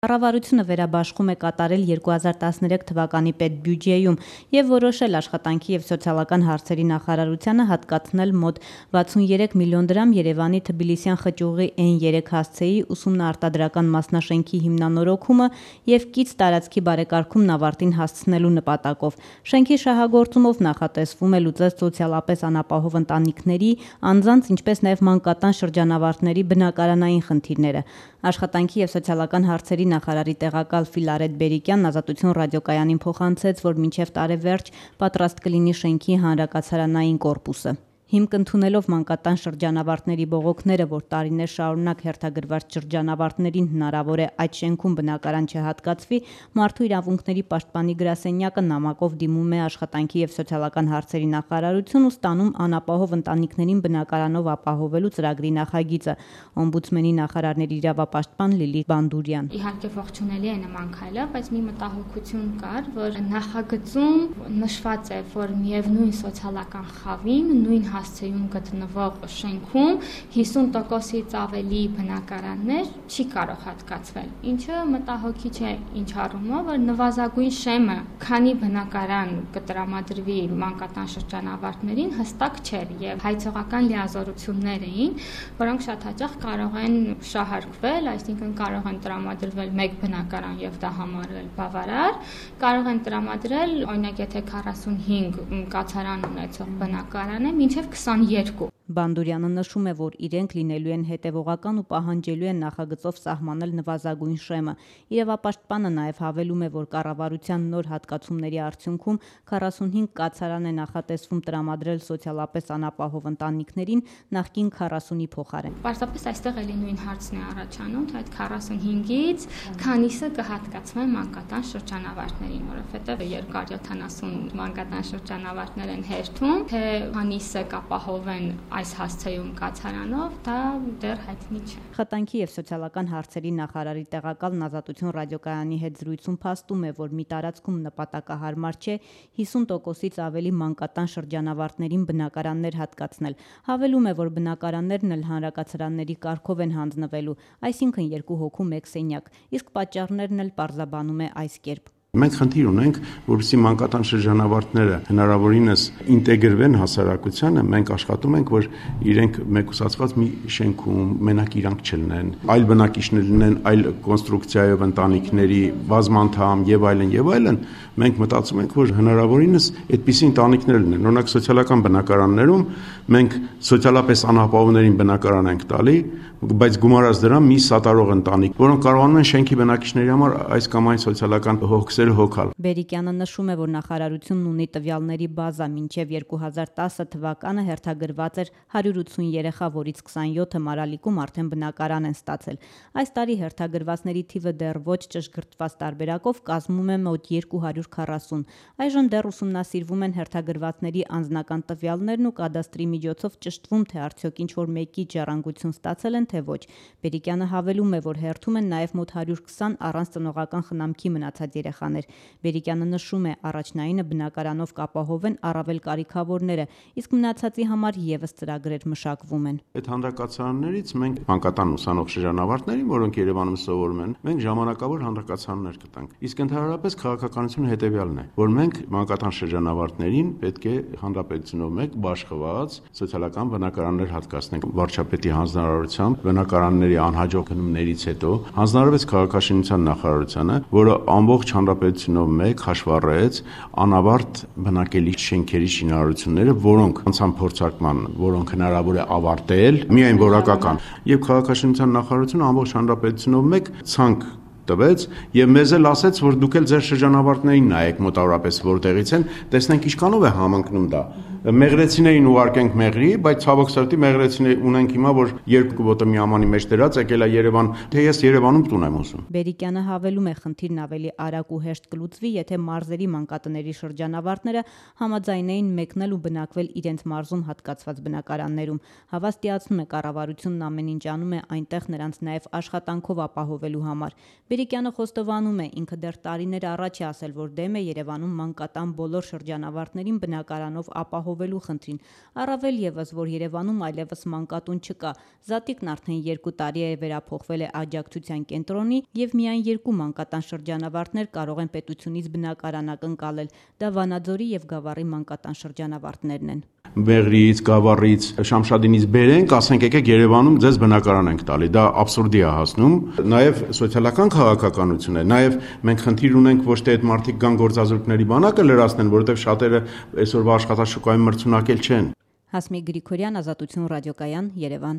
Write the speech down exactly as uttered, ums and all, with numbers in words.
Կառավարությունը վերաբաշխում է կատարել երկու հազար տասներեք թվականի պետբյուջեում և որոշել աշխատանքի և սոցիալական հարցերի նախարարությանը հատկացնել մոտ վաթսուներեք միլիոն դրամ Երևանի Թբիլիսյան խճուղի Էն երեք հասցեի ուսումնաարտադրական մասնաշենքի հիմնանորոգումը և կից տարածքի բարեկարգումն ավարտին հասցնելու նպատակով։ Շենքի շահագործումով նախատեսվում է լուծել սոցիալապես անապահով ընտանիքների, անձանց, ինչպես նաև մանկատան շրջանավարտների բնակարանային խնդիրները։ Աշխատանքի և սոցիալական հարցերի նախարարի տեղակալ Ֆիլարետ Բերիկյանն Ազատություն ռադիոկայանին փոխանցեց, որ մինչև տարեվերջ պատրաստ կլինի շենքի հանրակացարանային կորպուսը։ Հիմք ընդունելով մանկատան շրջանավարտների բողոքները, որ տարիներ շարունակ հերթագրված շրջանավարտներին հնարավոր է այդ շենքում բնակարան չհատկացվի, Մարդու իրավունքների պաշտպանի գրասենյակը նամակով դիմում է աշխատանքի և սոցիալական հարցերի նախարարություն ու ստանում անապահով ընտանիքներին բնակարանով ապահովելու ծրագրի նախագիծը։ Օմբուդսմենի նախարարների իրավապաշտպան Լիլիթ Բանդուրյան: Իհարկե ողջունելի է նման քայլը, բայց մի մտահոգություն կար, որ նախագծում նշված է, որ միևնույն սոցիալական խավին նույն հասցեում գտնվող շենքում հիսուն տոկոսից ավելի բնակարաններ չի կարող հատկացվել, ինչը մտահոգիչ է ինչ առումով, որ նվազագույն շեմը քանի բնակարան կտրամադրվի մանկատան շրջանավարտներին հստակ չէր և հայցողական լիազորություններ էին, որոնք շատ հաճախ կարող են շահարկվել, այսինքն կարող են տրամադրվել մեկ բնակարան և դա համարվել բավարար, կարող են տրամադրել, օրինակ եթե քառասունհինգ կացարան ունեցող բնակարան է, մինչև քսաներկու։ Բանդուրյանը նշում է, որ իրենք լինելու են հետևողական ու պահանջելու են նախագծով սահմանել նվազագույն շեմը։ Իրավապաշտպանը նաև հավելում է, որ կառավարության նոր հատկացումների արդյունքում քառասունհինգ կացարան է նախատեսվում տրամադրել սոցիալապես անապահով ընտանիքներին նախկին քառասունի փոխարեն։ Պարզապես այստեղ էլի նույն հարցն է առաջանում, թե այդ քառասունհինգից քանիսը կհատկացվեն մանկատան շրջանավարտներին, որովհետև երկար յոթանասուն մանկատան շրջանավարտներ են հերթում, թե քանիսը կապահովեն այս հասցեում կացարանով, դա դեռ հայտնի չէ։ Աշխատանքի և սոցիալական հարցերի նախարարի տեղակալն Ազատություն ռադիոկայանի հետ զրույցում փաստում է, որ մի տարածքում նպատակահարմար չէ հիսուն տոկոսից ավելի մանկատան շրջանավարտներին բնակարաններ հատկացնել։ Հավելում է, որ բնակարաններն էլ հանրակացարանների կարգով են հանձնվելու, այսինքն երկու հոգու մեկ սենյակ, իսկ պատճառներն էլ պարզաբանում է այս կերպ. Մենք խնդիր ունենք, որպեսզի մանկատան շրջանավարտները հնարավորինս ինտեգրվեն հասարակությանը, մենք աշխատում ենք, որ իրենք մեկուսացված մի շենքում մենակ իրանք չլինեն, այլ բնակիչներ լինեն, այլ կոնստրուկցիայով ընտանիքների բազմանդամ եւ այլն եւ այլն, մենք մտածում ենք, որ հնարավորինս այդպիսի ընտանիքներ լինեն։ Օրինակ սոցիալական բնակարաններում մենք սոցիալապես անապահովներին բնակարան ենք տալի, բայց գումարած դրան մի սատարող ընտանիք, որոնք կարողանում են շենքի բնակիչների համար այս կամ այն սոցիալական հոգսերը հոգալ։ Բերիկյանը նշում է, որ նախարարությունն ունի տվյալների բազա, մինչև երկու հազար տասը թվականը հերթագրված էր հարյուր ութսուն երեխա, որից քսանյոթը Մարալիկում արդեն բնակարան են ստացել։ Այս տարի հերթագրվածների թիվը դեռ ոչ ճշգրտված տարբերակով կազմում է մոտ երկու հարյուր քառասուն։ Այժմ դեռ ուսումնասիրվում են հերթագրվածների անձնական տվյալներն ու կադաստրի միջոցով ճշտվում, թե արդյոք ինչ-որ մեկի ժառանգություն ստացել են, թե ոչ։ Բերիկյանը հավելում է, որ հերթում են նաև մոտ հարյուր քսան առանց ծնողական խնամքի մնացած երեխաներ։ Բերիկյանը նշում է, առաջնայինը բնակարանով կապահովեն առավել կարիքավորները, իսկ մնացածի համար ևս ծրագրեր մշակվում են։ Այդ հանրակացարաններից մենք մանկատան ուսանող շրջանավարտներին, որոնք Երևանում սովորում են, մենք ժամանակավոր հանրակացարաններ կտանք։ Իսկ ընդհանրապես քաղաքականությունը հետևյալն է, որ մենք մանկատան շրջանավարտներին պետք է հանրապետությունով մեկ բաշխված սոցիալական բնակարաններ հատկացնենք։ Վարչապետի հանձնարարությամբ բնակարանների անհաջող գնումներից հետո հանձնարարվեց քաղաքաշինության նախարարությանը, որը ամբողջ հանրապետությունով մեկ հաշվառեց անավարտ բնակելի շենքերի շինարարությունները, որոնք անցան փորձարկման, որոնք հնարավոր է ավարտել, միայն որակական։ Եվ քաղաքաշինության նախարարությունը ամբողջ հանրապետությունով մեկ ցանկ տվեց եւ մեզ էլ ասեց, որ դուք էլ ձեր շրջանավարտներին նայեք մոտավորապես որտեղից են, տեսնենք ինչքանով է համընկնում դա։ Մեղրեցիներին ուղարկենք Մեղրի, բայց ցավոք սրտի մեղրեցիներ ունենք հիմա, որ երկու ոտը մի ամանի մեջ դրած եկել է Երևան, թե ես Երևանում տուն եմ ուզում։ Բերիկյանը հավելում է, խնդիրն ավելի արագ ու հեշտ կլուծվի, եթե մարզերի մանկատների շրջանավարտները համաձայնեին մեկնել ու բնակվել իրենց մարզում հատկացված բնակարաններում։ Հավաստիացնում է, կառավարությունն ամեն ինչ անում է այնտեղ նրանց նաև աշխատանքով ապահովելու համար։ Մելիքյանը խոստովանում է, ինքը դեռ տարիներ առաջ է ասել, որ դեմ է Երևանում մանկատան բոլոր շրջանավարտներին բնակարանով ապահովելու խնդրին, առավել ևս, որ Երևանում այլևս մանկատուն չկա, Զատիկն արդեն երկու տարի է վերափոխվել է աջակցության կենտրոնի և միայն երկու մանկատան շրջանավարտներ կարող են պետությունից բնակարան ակնկալել, դա Վանաձորի և Գավառի մանկատան շրջանավարտներն են։ Մեղրիից, Գավառից, Շամշադինից բերենք, ասենք եկեք Երևանում ձեզ բնակարան ենք տալի, դա աբսուրդի է հասնում, նաև սոցիալական քաղաքականություն է, նաև մենք խնդիր ունենք ոչ թե այդ մարդիկ կան գործազուրկների բանակը լրացնեն, որովհետև շատերը այսօրվա աշխատաշուկայում մրցունակել չեն։ Հասմիկ Գրիգորյան, Ազատություն ռադիոկայան, Երևան։